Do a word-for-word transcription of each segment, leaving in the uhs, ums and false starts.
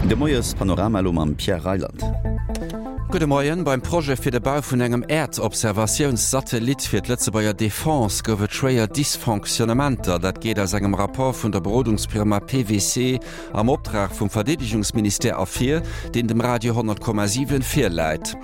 De Moiespanorama elo mam Pierre Reyland. Gudde Moien, Beim Projet fir de Bau vun engem Äerdobservatiounssatellit fir d'Lëtzebuerger Defense gouf et schwéier Dysfonctionnementer. Dat geet aus engem Rapport vun der Berodungsfirma P W C am Optrag vum Verdeedegungsministère ervir, deen dem Radio honnert Komma siwen virläit.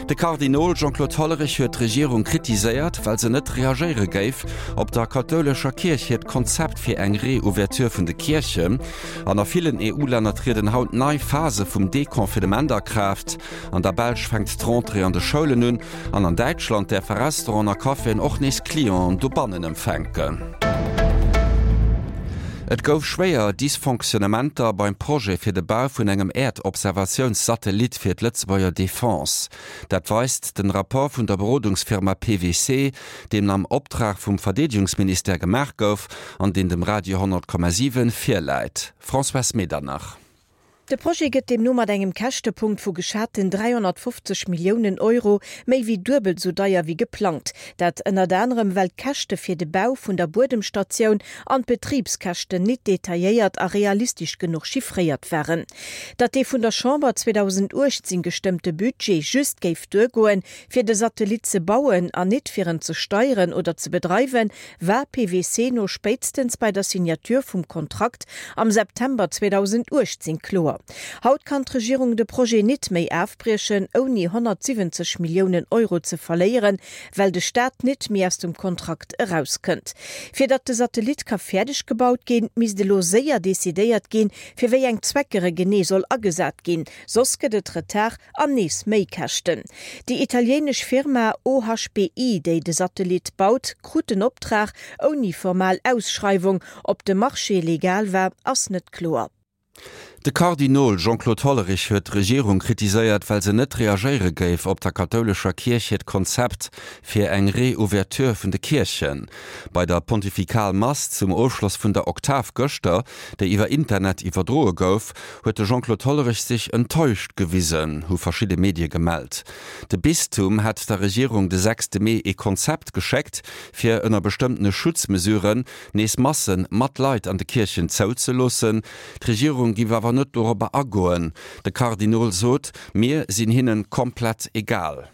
De Kardinol Jean-Claude Hollerich huet d'Regierung kritiséiert, well se net reagéiere géif op der kathoulescher Kierch hiert Konzept fir eng Reouverture vun de Kierchen. An a villen E U-Länner trieden haut nei Phase vum Deconfinement a Kraaft. An der Belsch fänkt d'Rentrée an de Schoulen un an an Däitschland däerfe Restauranten a Caféen och nees Clienten dobannen empfänken. Et gouf schwéier Dysfonctionnementer beim Projet fir de Bau vun engem Äerdobservatiounssatellit fir d'Lëtzebuerger Defense. Dat weist den Rapport vun der Berodungsfirma P W C, deen am Optrag vum Verdeedegungsministère gemaach gouf an deen dem Radio honnert Komma siwen virläit. Françoise Medernach. De Projet gëtt deemno mat engem Käschtepunkt vu geschaten dräihonnertfofzeg Milliounen Euro méi wéi duebel sou deier wéi geplangt. Dat ënnert anerem well d'Käschte fir de Bau vun der Buedemstatioun an d'Betribskäschten net detailléiert a realistesch genuch chiffréiert waren. Datt dee vun der Chamber zweedausenduechtzéng gestëmmte Budget just géif duergoen, fir de Satellit ze bauen an net fir en ze steieren oder ze bedreiwen, war P W C no spéitstens bei der Signature vum Kontrakt am September zweedausenduechtzéng kloer. Haut kann d'Regierung de Projet net méi ofbriechen, ouni honnertsiwwenzeg Milliounen Euro ze verléieren, well de Staat net méi aus dem Kontrakt erauskënnt. Fir datt de Satellit ka fäerdeg gebaut ginn, misst elo séier decidéiert ginn, fir wéi eng Zwecker e genee soll agesat ginn, soss gëtt et Retard an nees méi Käschten. Déi italieenesch Firma O H B I, déi de Satellit baut, krut den Optrag ouni formal Ausschreiwung. Ob de Marché legal war, ass net kloer. De Kardinol Jean-Claude Hollerich huet d'Regierung kritiséiert, well se net reagéiere géif op der kathoulescher Kierch hiert Konzept fir eng Reouverture vun de Kierchen. Bei der Pontifikalmass zum Ofschloss vun der Oktav gëschter, déi iwwer Internet iwwerdroe gouf, huet de Jean-Claude Hollerich sech enttäuscht gewisen, hu verschidde Medie gemellt. De Bistum hat der Regierung de sechste Mee e Konzept geschéckt, fir ënner bestëmmtene Schutzmesuren nees Masse mat Leit an de Kierchen zouzeloossen. D'Regierung géif awer net dorobber agoen. De Kardinol sot, mir sinn hinnen komplett egal.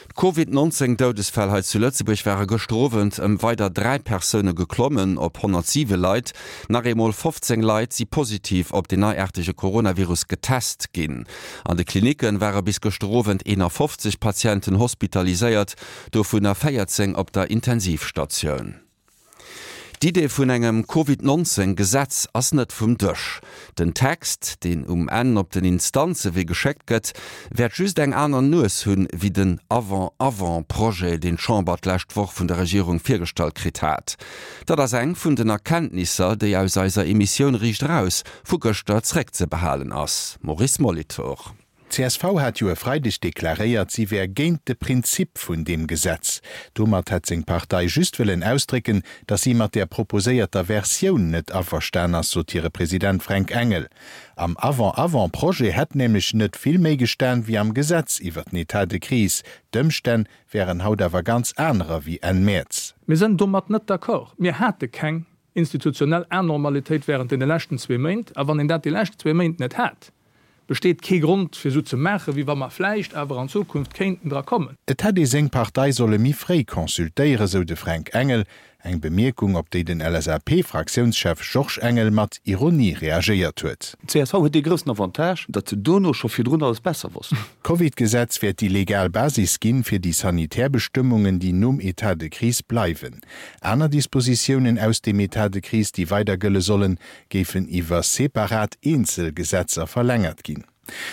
D'Covid neunzéng Doudesfäll hei zu Lëtzebuerg ware gëschter Owend ëm weider dräi Persoune geklommen op honnertsiwe Leit. Nach eemol fofzéng Leit si positiv op den neiaartege Coronavirus getest ginn. An de Klinicke ware bis gëschter Owend eenafofzeg Patienten hospitaliséiert, dovunner véierzéng op der Intensivstatioun. D'Idee vun engem Covid neunzéng Gesetz ass net vum Dësch. Den Text, deen um Enn op den Instanzewee geschéckt gëtt, wäert just eng aner Nues hunn wéi den Avant-Avant-Projet, deen d'Chamber d'lescht Woch vun der Regierung virgestallt kritt hat. Dat ass eng vun den Erkenntnisser, déi aus eiser Emissioun Riicht Eraus vu gëschter zréckzebehalen ass. Maurice Molitor. D C S V hat jo e Freideg deklaréiert, si wär géint de Prinzip vun deem Gesetz. Domat hat seng Partei just wëllen ausdrécken, datt si mat der proposéierter Versioun net averstan ass, sot hire President Fränk Engel. Am Avant-Avant-Projet hätt nämlech net vill méi gestan wéi am Gesetz iwwer den État de crise. D'Ëmstänn wären haut awer ganz anerer wéi Enn Mäerz. Mir sinn domat net d'accord. Mir hate keng institutionell Anormalitéit wärend deene leschten zwee Méint, a wann een dat déi lescht zwee Méint net hat, besteet kee Grond fir sou ze maachen, wéi wa mer vläicht awer an Zukunft kéinten dra kommen. Et hätt ee seng Partei solle méi fréi consultéieren, sou de Fränk Engel, eng Bemierkung, op déi den L S A P-Fraktiounschef Georges Engel mat Ironie reagéiert huet. D C S V huet dee groussen Avantage, datt se dono scho virdrun alles besser wossten. D'Covid-Gesetz wäert déi legal Basis ginn, fir déi sanitär Bestëmmungen, déi nom État de crise bleiwen. Aner Dispositiounen aus dem État de crise, déi weider gëlle sollen, géifen iwwer separat Eenzelgesetzer verlängert ginn.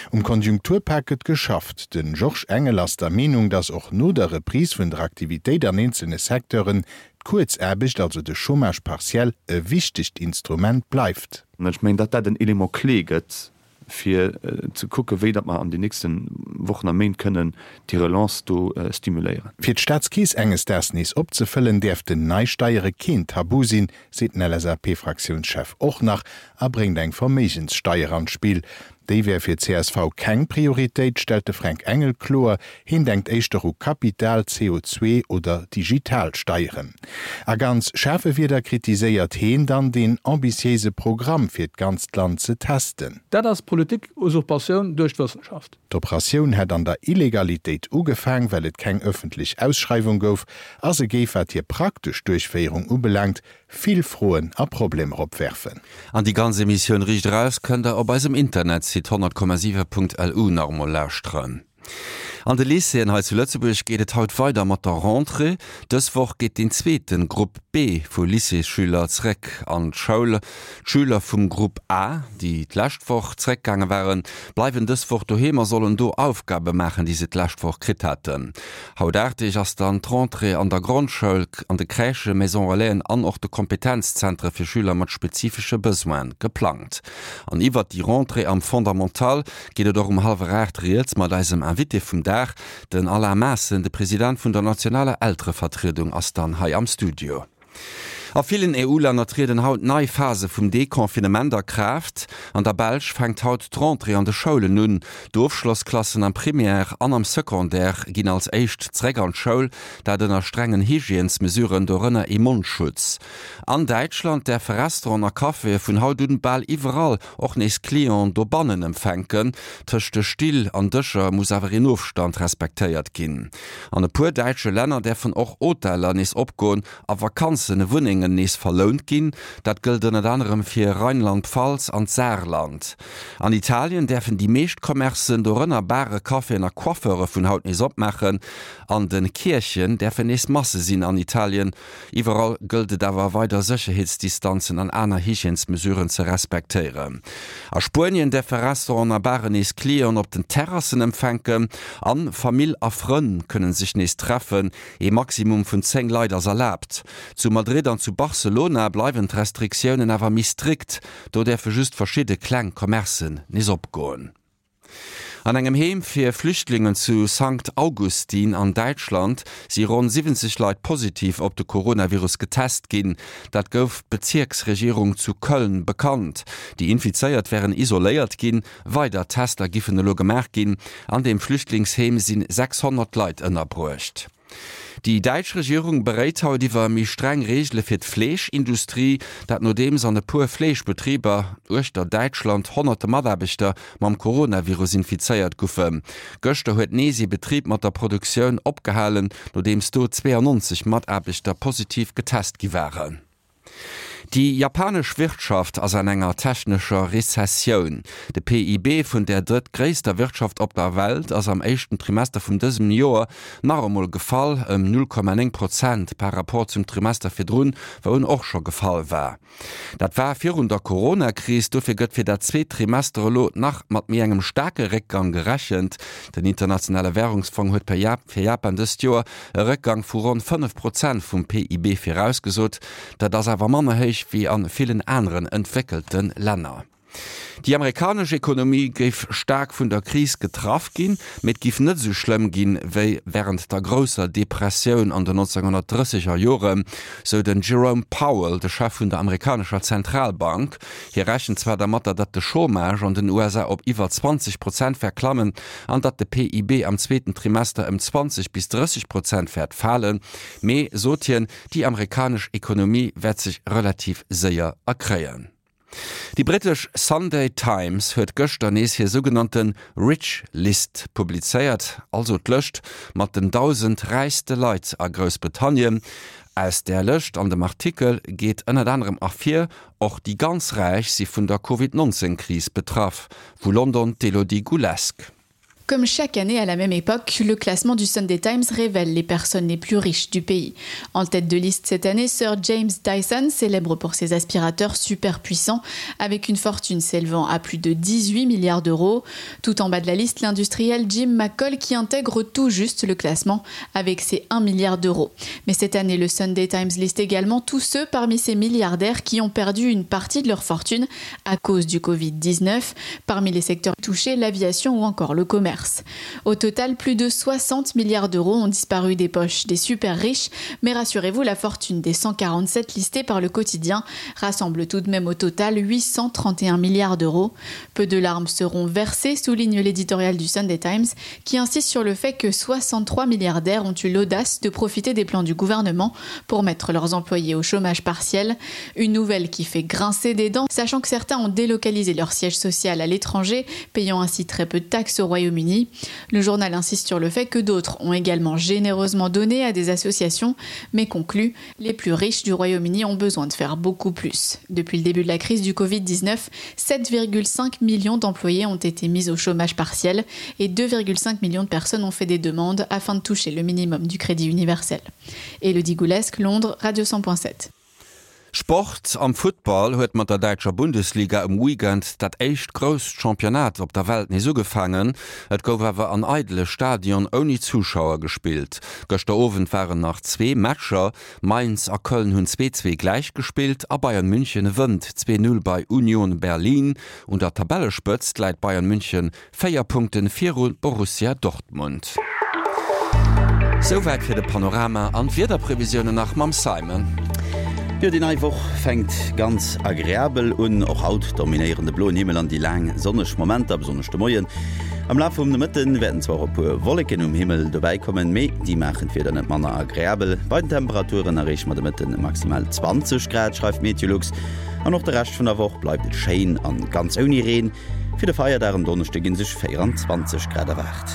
Um Konjunkturpak gëtt geschafft. Den Georges Engel ass der Meenung, datt och no der Reprise vun der Aktivitéit an eenzelne Secteuren d'Kuerzaarbecht, also de Chômage partiel, e wichtegt Instrument bleift. Ech mengen, datt dat en Élément clé gëtt, fir ze kucke wéi datt mer an den nächste Wochen a Méint kënnen déi Relance do stimuléieren. Fir d'Staatskeess enges Daags nees opzefëllen, däerften nei Steiere keen Tabu sinn, seet den L S A P-Fraktiounschef och nach a bréngt eng Verméigenssteier an d'Spill. Déi wär fir d'CSV keng Prioritéit, stellt de Fränk Engel kloer, hien denkt éischter u Kapital-, CO zwee oder Digitalsteieren. A ganz schaarfe Wierder kritiséiert heen dann deen ambitiéise Programm fir d'ganzt Land ze testen. Dat ass Politik-Usurpatioun duerch d'Wëssenschaft. D'Operatioun hätt an der Illegalitéit ugefaang, well et keng ëffentlech Ausschreiwung gouf, a se géif, wat hir praktesch Duerchféierung ubelaangt, vill Froen a Problemer opwerfen. An déi ganz Emissioun Riicht Eraus kënnt der op eisem Internetsite honnert Komma siwe Punkt lu nach emol lauschteren. An de Lycéeën hei zu Lëtzebuerg geet et haut weider mat der Rentrée. Dës Woch geet deen zweete Grupp B vu Lycéesschüler zeréck an d'Schoul. D'Schüler vum Grupp A, déi d'lescht Woch zeréckgaange waren, bleiwen dës Woch doheem a sollen do Aufgabe maachen, déi se d'lescht Woch kritt haten. Haut aacht Deeg ass dann d'Rentrée an der Grondschoul, an de Crèchen, Maison Relaisen an och de Kompetenzzentre fir Schüler mat spezifesche Besoine geplangt. An iwwert déi Rentrée am Fondamental geet et och um hallwer aacht rieds mat eisem Invité vum Dag. Den Alain Maassen, de President vun der nationaler Elterevertriedung, ass dann hei am Studio. A villen EU-Länner trieden haut nei Phase vum Deconfinement a Kraaft. An der Belsch fänkt haut d'Rentrée an de Schoulen un. D'Ofschlossklassen am Primaire an am Secondaire ginn als éischt zeréck an d'Schoul, dat ënner strengen Hygiènesmesuren, dorënner ee Mondschutz. An Däitschland däerfe Restauranten a Caféë vun haut un bal iwwerall och nees Clienten dobannen empfänken. Tëscht de Still an Dëscher muss awer een Ofstand respektéiert ginn. An e puer däitsche Länner däerfen och Hoteller nees opgoen a Vakanzenewunnengen nees verlount ginn. Dat gëllt ënnert anerem fir Rheinland-Pfalz an d'Saarland. An Italien däerfen déi meescht Commercen, dorënner Bare, Caféen a Coiffeure vun haut nees opmaachen. An de Kierchen däerfen nees Masse sinn an Italien. Iwwerall gëllt et awer weider Sécherheetsdistanzen an aner Hygiènesmesuren ze respektéieren. A Spuenien däerfe Restauranten a Baren nees Clienten op den Terrassen empfänken an Famill a Frënn kënnen sech nees treffen. Ee Maximum vun zéng Leit ass erlaabt. Zu Madrid an zu Barcelona bleiwen d'Restriktiounen awer méi strikt, do däerfe just verschidde kleng Commercen nees opgoen. An engem Heem fir Flüchtlingen zu Sankt Augustin an Däitschland si ronn siwwenzeg Leit positiv op de Coronavirus getest ginn. Dat gouf d'Bezierksregierung zu Köln bekannt. Déi Infizéiert wären isoléiert ginn, weider Tester giffen elo gemaach ginn. An deem Flüchtlingsheem si sechshonnert Leit ënnerbruecht. Déi däitsch Regierung beréit haut iwwer méi streng Reegele fir d'Fleeschindustrie. Dat nodeems an e puer Fleeschbetriber uechter Däitschland honnerte Mataarbechter mam Coronavirus infizéiert goufen. Gëschter huet nees ee Betrib mat der Produktioun opgehalen, nodeems do zweeanonzeg Mataarbechter positiv getest gi waren. Déi japanesch Wirtschaft ass an enger technescher Rezessioun. De P I B vun der drëttgréisster Wirtschaft op der Welt ass am éischten Trimester vun dësem Joer nach emol gefall, ëm null Komma néng Prozent par Rapport zum Trimester virdrun, wou en och scho gefall war. Dat war virun der Corona-Kris. Dofir gëtt fir dat zweet Trimester elo nach mat méi engem staarke Réckgang gerechent. Den Internationale Wärungsfong huet fir Japan dëst Joer e Réckgang vu ronn fënnef Prozent vum P I B virausgesot. Dat ass awer manner héich wéi a villen aneren entwéckelte Länner. Déi amerikanesch Ekonomie géif staark vun der Kris getraff ginn, mee et géif net esou schlëmm ginn, wéi wärend der grousser Depressioun an den nonzénghonnertdrësseger Joren, sou den Jerome Powell, de Chef vun der amerikanescher Zentralbank. Hie rechent zwar dermatter, datt de Chômage an den U S A op iwwer zwanzeg Prozent wäert klammen an datt de P I B am zweeten Trimester ëm zwanzeg bis drësseg Prozent wäert falen, mee, sot hien, déi amerikanesch Ekonomie wäert sech relativ séier erkréien. Déi brittesch Sunday Times huet gëschter nees hir sougenannte Rich List publizéiert, also d'Lëscht mat den dausend räichste Leit a Groussbritannien. Aus där Lëscht an dem Artikel geet ënnert anerem ervir, och déi ganz Räich si vun der Covid nonzéng Kris betraff. Vu London d'Elodie Goulesque. Comme chaque année à la même époque, le classement du Sunday Times révèle les personnes les plus riches du pays. En tête de liste cette année, Sir James Dyson, célèbre pour ses aspirateurs super puissants, avec une fortune s'élevant à plus de dix-huit milliards d'euros. Tout en bas de la liste, l'industriel Jim McColl qui intègre tout juste le classement avec ses un milliard d'euros. Mais cette année, le Sunday Times liste également tous ceux parmi ces milliardaires qui ont perdu une partie de leur fortune à cause du Covid dix-neuf. Parmi les secteurs touchés, l'aviation ou encore le commerce. commerce. Au total, plus de soixante milliards d'euros ont disparu des poches des super riches, mais rassurez-vous, la fortune des cent quarante-sept listés par le quotidien rassemble tout de même au total huit cent trente et un milliards d'euros. Peu de larmes seront versées, souligne l'éditorial du Sunday Times, qui insiste sur le fait que soixante-trois milliardaires ont eu l'audace de profiter des plans du gouvernement pour mettre leurs employés au chômage partiel. Une nouvelle qui fait grincer des dents, sachant que certains ont délocalisé leur siège social à l'étranger, payant ainsi très peu de taxes au Royaume-Uni. Le journal insiste sur le fait que d'autres ont également généreusement donné à des associations, mais conclut les plus riches du Royaume-Uni ont besoin de faire beaucoup plus. Depuis le début de la crise du Covid dix-neuf, sept virgule cinq millions d'employés ont été mis au chômage partiel et deux virgule cinq millions de personnes ont fait des demandes afin de toucher le minimum du crédit universel. Elodie Goulesque, Londres, Radio cent point sept. Sport am Football huet mat der däitscher Bundesliga um Weekend dat éischt grousst Championnat op der Welt nees ugefaangen. Et gouf awer an eidele Stadion ouni Zuschauer gespillt. Gëschter Owend waren nach zwee Matcher. Mainz a Köln hunn zwee zwee gläich gespillt a Bayern München wënnt zwee null bei Union Berlin. Un der Tabellespëtzt läit Bayern München véier Punkte viru Borussia Dortmund. Souwäit fir de Panorama an d'Wiederprevisiounen nach mam Simon. Jo, déi nei Woch fänkt ganz agreabel un. Och haut dominéieren de bloen Himmel an déi laang sonneg Momenter, besonnesch de Moien. Am Laf vum Nomëtte wäerten zwar och e puer Wolleken um Himmel dobäi kommen, mee déi maachen d'Wieder net manner agreabel. Bei den Temperaturen erreeche mer de Mëtten maximal zwanzeg Grad, schreift Meteolux. An och de Rescht vun der Woch bleift et schéin an ganz ouni Reen. Fir de Feierdag en Donneschde gi sech véieranzwanzeg Grad erwaart.